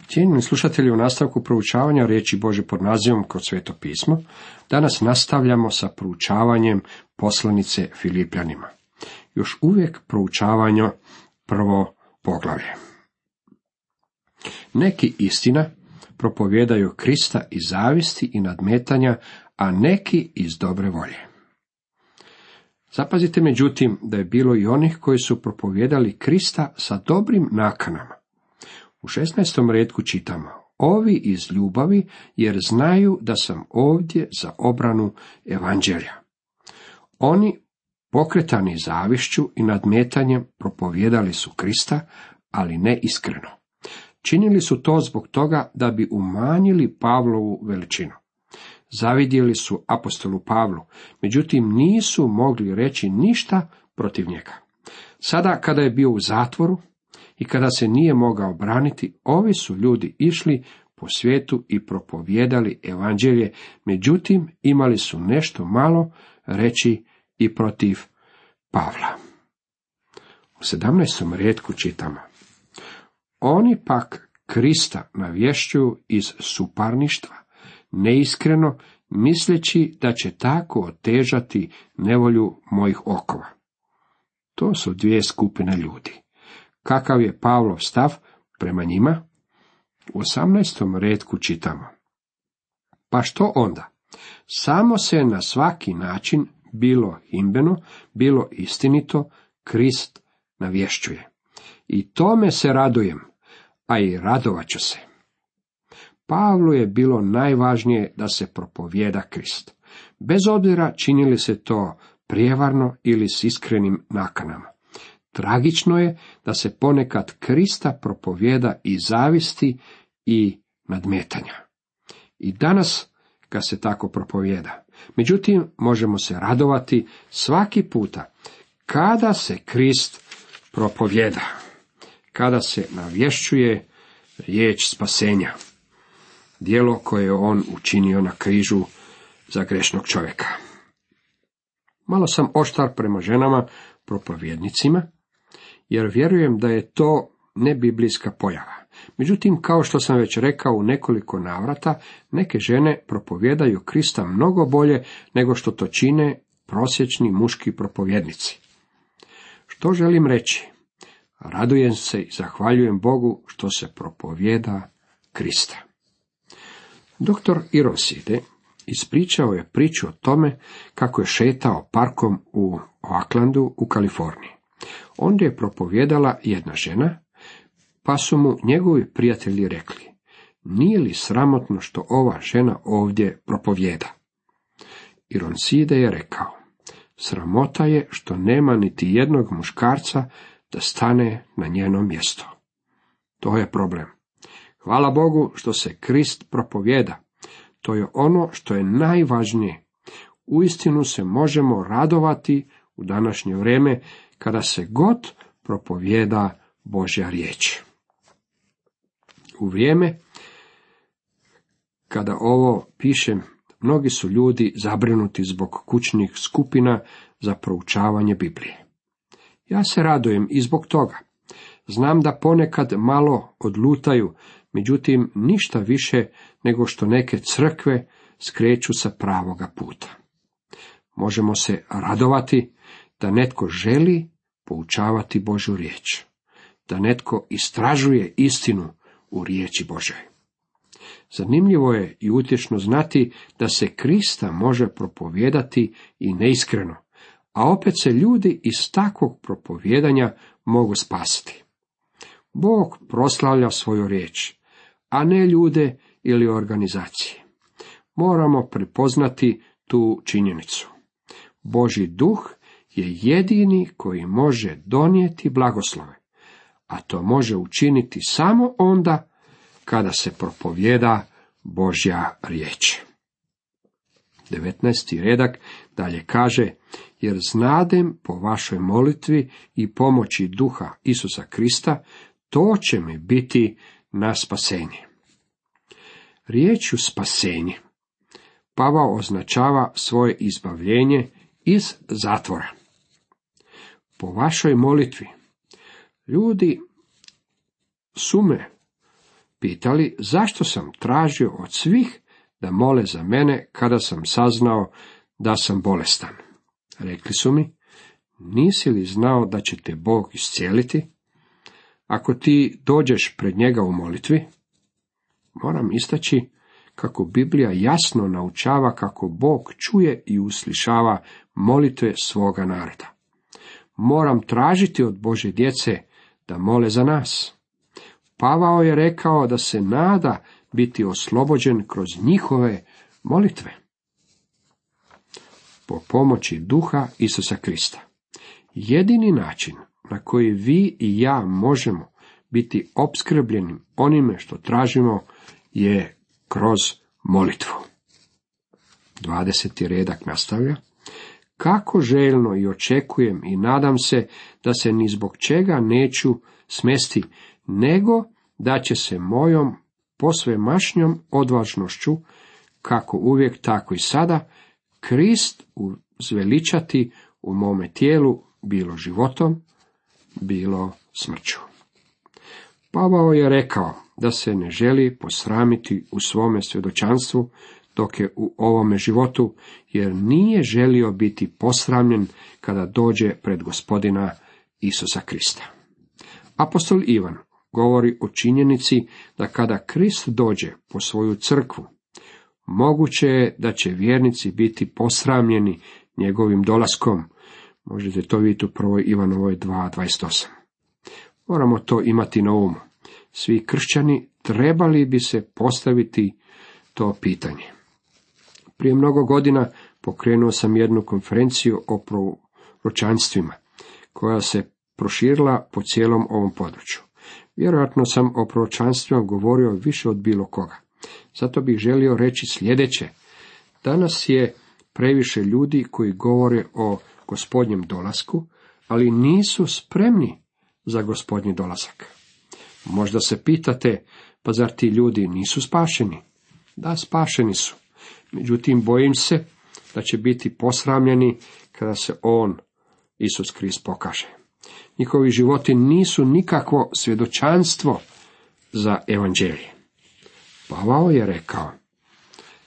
Cijenjeni slušatelji, u nastavku proučavanja riječi Božje pod nazivom Kroz Sveto pismo, danas nastavljamo sa proučavanjem poslanice Filipljanima. Još uvijek proučavanje prvo poglavlje. Neki, istina, propovijedaju Krista iz zavisti i nadmetanja, a neki iz dobre volje. Zapazite međutim da je bilo i onih koji su propovijedali Krista sa dobrim nakanama. U 16. retku čitamo: ovi iz ljubavi, jer znaju da sam ovdje za obranu evanđelja. Oni, pokretani zavišću i nadmetanjem, propovijedali su Krista, ali ne iskreno. Činili su to zbog toga da bi umanjili Pavlovu veličinu. Zavidjeli su apostolu Pavlu, međutim nisu mogli reći ništa protiv njega. Sada kada je bio u zatvoru i kada se nije mogao braniti, ovi su ljudi išli po svijetu i propovijedali evanđelje, međutim imali su nešto malo reći i protiv Pavla. U 17. retku čitamo: oni pak Krista navješćuju iz suparništva, neiskreno, misleći da će tako otežati nevolju mojih okova. To su dvije skupine ljudi. Kakav je Pavlov stav prema njima? U 18. retku čitamo: pa što onda? Samo se na svaki način, bilo himbeno, bilo istinito, Krist navješćuje. I tome se radujem, a i radovat ću se. Pavlu je bilo najvažnije da se propovijeda Krist, bez obzira činili se to prijevarno ili s iskrenim nakanama. Tragično je da se ponekad Krista propovijeda i zavisti i nadmetanja. I danas ga se tako propovijeda. Međutim, možemo se radovati svaki puta kada se Krist propovijeda, kada se navješćuje riječ spasenja, djelo koje je on učinio na križu za grešnog čovjeka. Malo sam oštar prema ženama propovjednicima, jer vjerujem da je to nebiblijska pojava. Međutim, kao što sam već rekao u nekoliko navrata, neke žene propovijedaju Krista mnogo bolje nego što to čine prosječni muški propovjednici. Što želim reći? Radujem se i zahvaljujem Bogu što se propovijeda Krista. Dr. Ironside ispričao je priču o tome kako je šetao parkom u Oaklandu u Kaliforniji. Onda je propovijedala jedna žena, pa su mu njegovi prijatelji rekli: nije li sramotno što ova žena ovdje propovijeda? Ironside je rekao: sramota je što nema niti jednog muškarca da stane na njeno mjesto. To je problem. Hvala Bogu što se Krist propovijeda. To je ono što je najvažnije. Uistinu se možemo radovati u današnje vrijeme kada se god propovijeda Božja riječ. U vrijeme kada ovo pišem, mnogi su ljudi zabrinuti zbog kućnih skupina za proučavanje Biblije. Ja se radujem i zbog toga. Znam da ponekad malo odlutaju, međutim ništa više nego što neke crkve skreću sa pravoga puta. Možemo se radovati da netko želi poučavati Božju riječ, da netko istražuje istinu u riječi Božoj. Zanimljivo je i utješno znati da se Krista može propovijedati i neiskreno, a opet se ljudi iz takvog propovijedanja mogu spasiti. Bog proslavlja svoju riječ, a ne ljude ili organizacije. Moramo prepoznati tu činjenicu. Božji duh je jedini koji može donijeti blagoslove, a to može učiniti samo onda kada se propovijeda Božja riječ. 19. redak dalje kaže: jer znadem po vašoj molitvi i pomoći duha Isusa Krista, to će mi biti na spasenje. Riječju spasenje Pavao označava svoje izbavljenje iz zatvora. Po vašoj molitvi. Ljudi sume pitali zašto sam tražio od svih da mole za mene kada sam saznao da sam bolestan. Rekli su mi, nisi li znao da će te Bog iscijeliti? Ako ti dođeš pred njega u molitvi, moram istaći kako Biblija jasno naučava kako Bog čuje i uslišava molitve svoga naroda. Moram tražiti od Božje djece da mole za nas. Pavao je rekao da se nada biti oslobođen kroz njihove molitve. Po pomoći duha Isusa Krista. Jedini način na koji vi i ja možemo biti opskrbljeni onime što tražimo je kroz molitvu. 20. redak nastavlja. Kako željno i očekujem i nadam se da se ni zbog čega neću smesti, nego da će se mojom posvemašnjom odvažnošću, kako uvijek tako i sada, Krist uzveličati u mome tijelu, bilo životom, bilo smrću. Pavao je rekao da se ne želi posramiti u svome svjedočanstvu dok je u ovome životu, jer nije želio biti posramljen kada dođe pred Gospodina Isusa Krista. Apostol Ivan govori o činjenici da kada Krist dođe po svoju crkvu, moguće je da će vjernici biti posramljeni njegovim dolaskom. Možete to vidjeti u 1. Ivanovoj 2:28. Moramo to imati na umu. Svi kršćani trebali bi se postaviti to pitanje. Prije mnogo godina pokrenuo sam jednu konferenciju o proročanstvima, koja se proširila po cijelom ovom području. Vjerojatno sam o proročanstvima govorio više od bilo koga. Zato bih želio reći sljedeće. Danas je previše ljudi koji govore o Gospodnjem dolasku, ali nisu spremni za Gospodnji dolazak. Možda se pitate, pa zar ti ljudi nisu spašeni? Da, spašeni su. Međutim, bojim se da će biti posramljeni kada se on, Isus Krist, pokaže. Njihovi životi nisu nikakvo svjedočanstvo za evanđelje. Pavao je rekao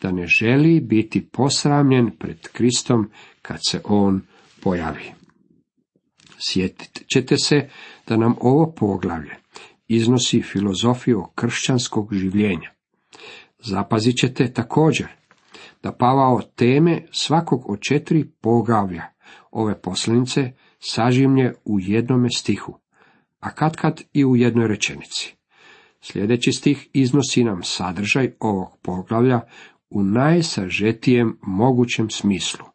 da ne želi biti posramljen pred Kristom kad se on pojavi. Sjetit ćete se da nam ovo poglavlje iznosi filozofiju kršćanskog življenja. Zapazit ćete također da Pavao teme svakog od 4 poglavlja ove poslanice sažimlje u jednome stihu, a katkad i u jednoj rečenici. Sljedeći stih iznosi nam sadržaj ovog poglavlja u najsažetijem mogućem smislu.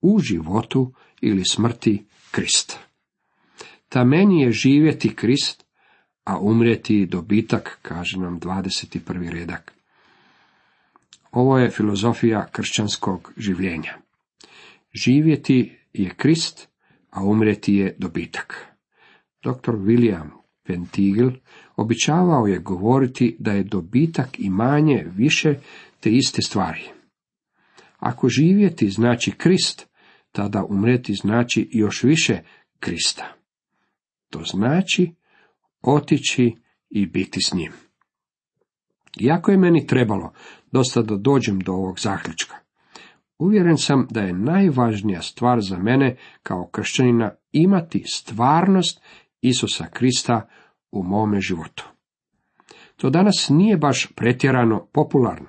U životu ili smrti Krist. Ta meni je živjeti Krist, a umrijeti dobitak, kaže nam 21. redak. Ovo je filozofija kršćanskog življenja. Živjeti je Krist, a umrijeti je dobitak. Dr. William Pentigel običavao je govoriti da je dobitak i manje više te iste stvari. Ako živjeti znači Krist, tada umrijeti znači još više Krista. To znači otići i biti s njim. Iako je meni trebalo dosta da dođem do ovog zaključka, uvjeren sam da je najvažnija stvar za mene kao kršćanina imati stvarnost Isusa Krista u mome životu. To danas nije baš pretjerano popularno.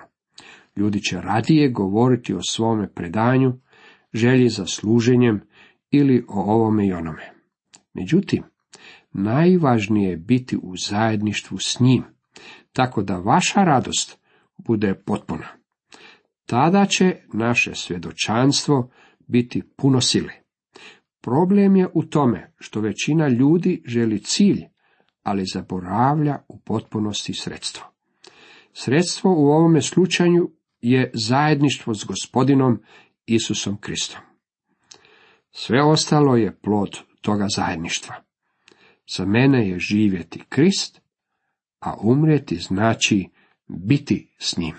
Ljudi će radije govoriti o svome predanju, želji za služenjem ili o ovome i onome. Međutim, najvažnije je biti u zajedništvu s njim, tako da vaša radost bude potpuna. Tada će naše svjedočanstvo biti puno sile. Problem je u tome što većina ljudi želi cilj, ali zaboravlja u potpunosti sredstvo. Sredstvo u ovome slučaju je zajedništvo s Gospodinom Isusom Kristom. Sve ostalo je plod toga zajedništva. Za mene je živjeti Krist, a umrijeti znači biti s njim.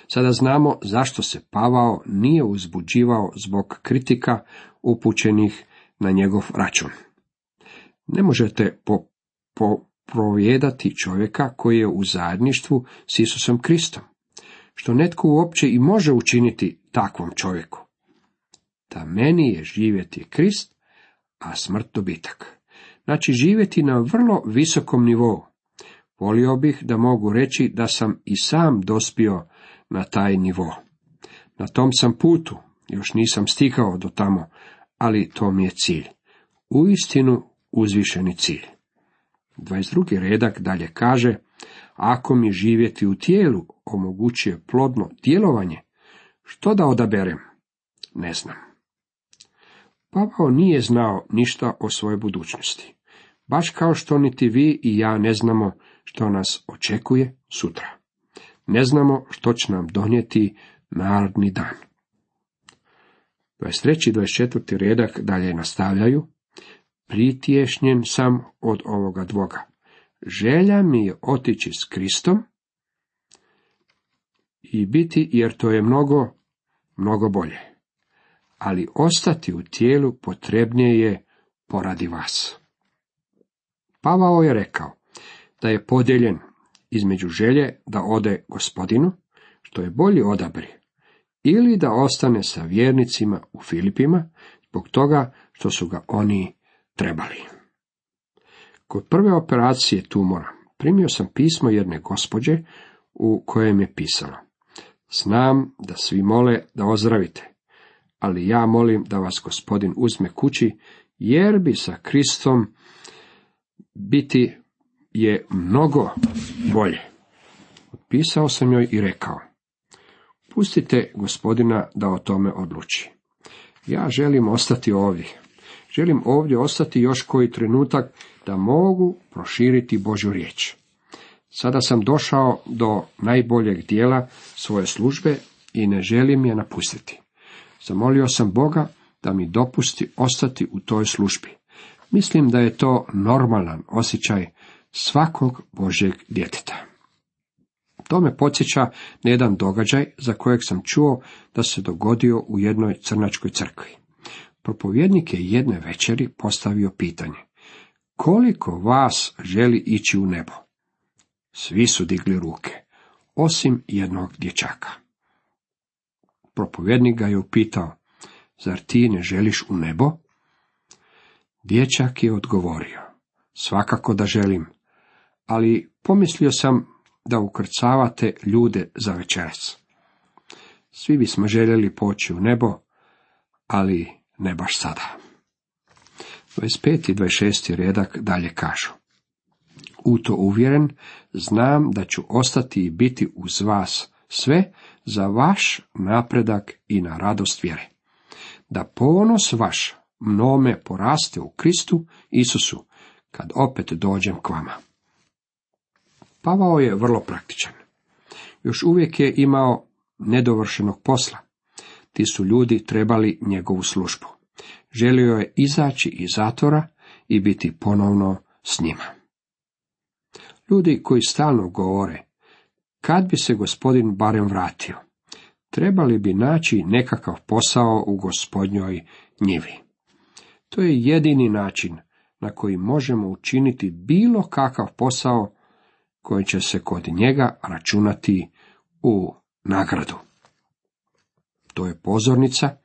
Sada znamo zašto se Pavao nije uzbuđivao zbog kritika upućenih na njegov račun. Ne možete po propovijedati čovjeka koji je u zajedništvu s Isusom Kristom, što netko uopće i može učiniti takvom čovjeku. Da meni je živjeti Krist, a smrt dobitak. Znači živjeti na vrlo visokom nivou. Volio bih da mogu reći da sam i sam dospio na taj nivo. Na tom sam putu, još nisam stigao do tamo, ali to mi je cilj. Uistinu uzvišeni cilj. 22. redak dalje kaže, ako mi živjeti u tijelu omogućuje plodno djelovanje, što da odaberem? Ne znam. Pavao nije znao ništa o svojoj budućnosti, baš kao što niti vi i ja ne znamo što nas očekuje sutra. Ne znamo što će nam donijeti naredni dan. 23. i 24. redak dalje nastavljaju, pritješnjen sam od ovoga dvoga. Želja mi je otići s Kristom i biti, jer to je mnogo, mnogo bolje. Ali ostati u tijelu potrebnije je poradi vas. Pavao je rekao da je podijeljen između želje da ode Gospodinu, što je bolji odabir, ili da ostane sa vjernicima u Filipima, zbog toga što su ga oni trebali. Kod prve operacije tumora primio sam pismo jedne gospođe u kojem je pisalo: znam da svi mole da ozdravite, ali ja molim da vas Gospodin uzme kući, jer bi sa Kristom biti je mnogo bolje. Otpisao sam joj i rekao: pustite Gospodina da o tome odluči. Ja želim ostati ovdje. Želim ovdje ostati još koji trenutak da mogu proširiti Božju riječ. Sada sam došao do najboljeg dijela svoje službe i ne želim je napustiti. Zamolio sam Boga da mi dopusti ostati u toj službi. Mislim da je to normalan osjećaj svakog Božjeg djeteta. To me podsjeća na jedan događaj za kojeg sam čuo da se dogodio u jednoj crnačkoj crkvi. Propovjednik je jedne večeri postavio pitanje: koliko vas želi ići u nebo? Svi su digli ruke, osim jednog dječaka. Propovjednik ga je upitao: zar ti ne želiš u nebo? Dječak je odgovorio: svakako da želim, ali pomislio sam da ukrcavate ljude za večeras. Svi bismo željeli poći u nebo, ali ne baš sada. 25. i 26. redak dalje kažu: u to uvjeren, znam da ću ostati i biti uz vas sve za vaš napredak i na radost vjere, da ponos vaš mnome poraste u Kristu Isusu, kad opet dođem k vama. Pavao je vrlo praktičan. Još uvijek je imao nedovršenog posla. Ti su ljudi trebali njegovu službu. Želio je izaći iz zatvora i biti ponovno s njima. Ljudi koji stalno govore: kad bi se Gospodin barem vratio, trebali bi naći nekakav posao u Gospodnjoj njivi. To je jedini način na koji možemo učiniti bilo kakav posao koji će se kod njega računati u nagradu. To je pozornica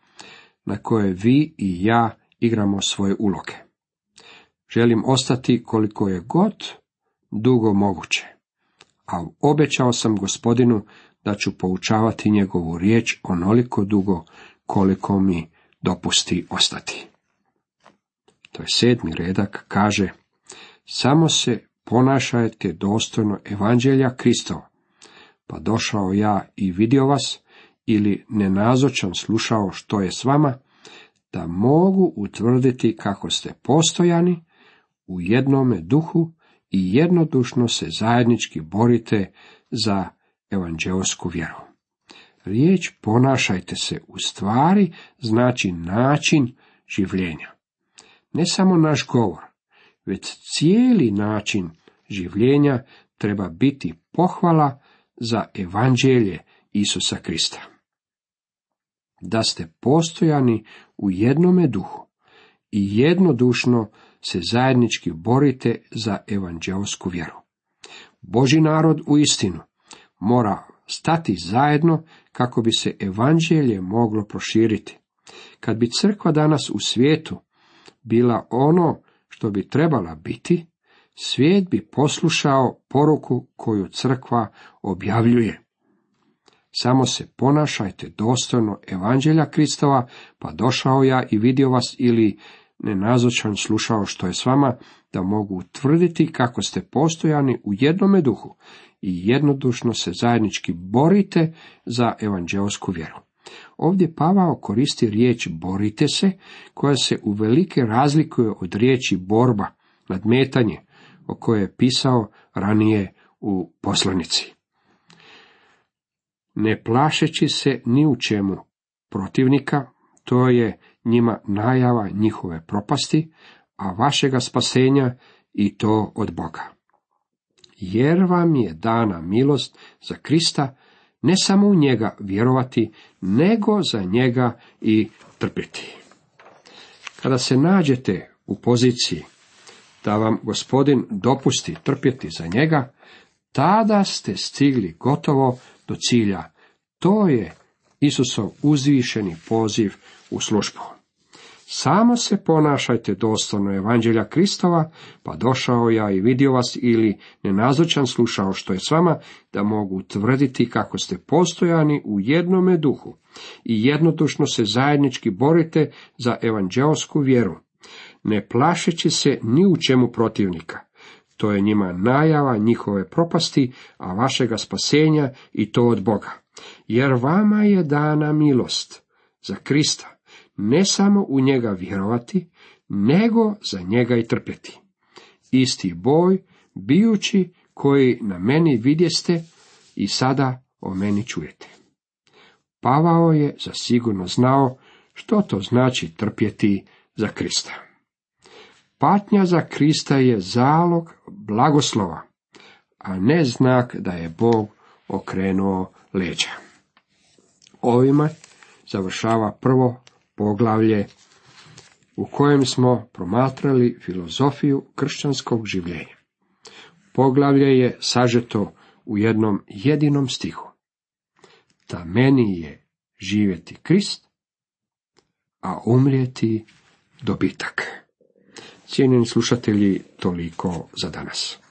na kojoj vi i ja igramo svoje uloge. Želim ostati koliko je god dugo moguće, a obećao sam Gospodinu da ću poučavati njegovu riječ onoliko dugo koliko mi dopusti ostati. To je 7. redak, kaže: samo se ponašajte dostojno evanđelja Kristova, pa došao ja i vidio vas, ili nenazočan slušao što je s vama, da mogu utvrditi kako ste postojani u jednome duhu i jednodušno se zajednički borite za evanđeosku vjeru. Riječ ponašajte se u stvari znači način življenja. Ne samo naš govor, već cijeli način življenja treba biti pohvala za evanđelje Isusa Krista. Da ste postojani u jednome duhu i jednodušno se zajednički borite za evanđeosku vjeru. Božji narod uistinu mora stati zajedno kako bi se evanđelje moglo proširiti. Kad bi crkva danas u svijetu bila ono što bi trebala biti, svijet bi poslušao poruku koju crkva objavljuje. Samo se ponašajte dostojno evanđelja Kristova, pa došao ja i vidio vas, ili nenazočan slušao što je s vama, da mogu utvrditi kako ste postojani u jednome duhu i jednodušno se zajednički borite za evanđeosku vjeru. Ovdje Pavao koristi riječ borite se, koja se uvelike razlikuje od riječi borba, nadmetanje, o kojoj je pisao ranije u poslanici. Ne plašeći se ni u čemu protivnika, to je njima najava njihove propasti, a vašega spasenja i to od Boga. Jer vam je dana milost za Krista, ne samo u njega vjerovati, nego za njega i trpjeti. Kada se nađete u poziciji da vam Gospodin dopusti trpjeti za njega, tada ste stigli gotovo do cilja. To je Isusov uzvišeni poziv u službu. Samo se ponašajte dostojno evanđelja Kristova, pa došao ja i vidio vas, ili nenazočan slušao što je s vama, da mogu tvrditi kako ste postojani u jednome duhu i jednodušno se zajednički borite za evanđeosku vjeru, ne plašeći se ni u čemu protivnika. To je njima najava njihove propasti, a vašega spasenja i to od Boga. Jer vama je dana milost za Krista, ne samo u njega vjerovati, nego za njega i trpjeti. Isti boj bijući koji na meni vidjeste i sada o meni čujete. Pavao je zasigurno znao što to znači trpjeti za Krista. Patnja za Krista je zalog blagoslova, a ne znak da je Bog okrenuo leđa. Ovime završava prvo poglavlje u kojem smo promatrali filozofiju kršćanskog življenja. Poglavlje je sažeto u jednom jedinom stihu. Da meni je živjeti Krist, a umrijeti dobitak. Cijenjeni slušatelji, toliko za danas.